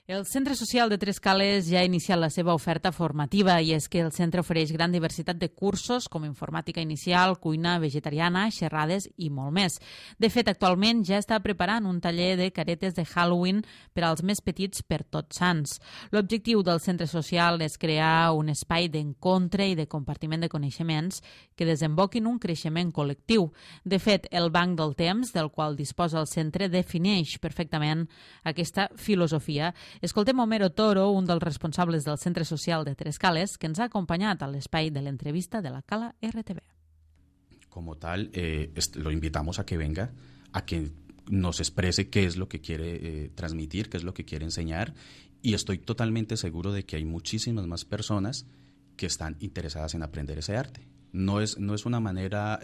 El Centre Social de Tres Cales ja ha iniciat la seva oferta formativa i és que el centre ofereix gran diversitat de cursos com informàtica inicial, cuina vegetariana, xerrades i molt més. De fet, actualment ja està preparant un taller de caretes de Halloween per als més petits per Tots Sants. L'objectiu del centre social és crear un espai d'encontre i de compartiment de coneixements que desemboquin un creixement col·lectiu. De fet, el Banc del Temps, del qual disposa el centre, defineix perfectament aquesta filosofia. Escoltem Homero Toro, un dels responsables del Centre Social de Tres Cales, que ens ha acompanyat a l'espai de l'entrevista de la Cala RTV. Como tal, lo invitamos a que venga, a que nos exprese qué es lo que quiere transmitir, qué es lo que quiere enseñar, y estoy totalmente seguro de que hay muchísimas más personas que están interesadas en aprender ese arte. No es una manera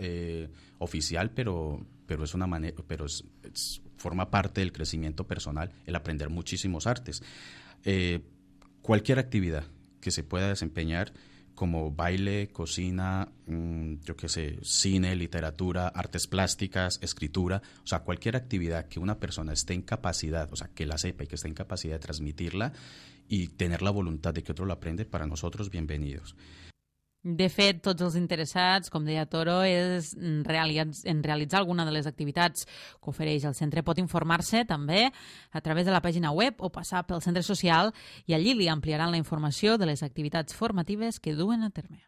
oficial, pero es una manera, forma parte del crecimiento personal el aprender muchísimos artes. Cualquier actividad que se pueda desempeñar, como baile, cocina, cine, literatura, artes plásticas, escritura, o sea, cualquier actividad que una persona esté en capacidad, o sea, que la sepa y que esté en capacidad de transmitirla y tener la voluntad de que otro lo aprende, para nosotros bienvenidos. De fet, tots els interessats, com deia Toro, en realitzar alguna de les activitats que ofereix el centre pot informar-se també a través de la pàgina web o passar pel centre social i allí li ampliaran la informació de les activitats formatives que duen a terme.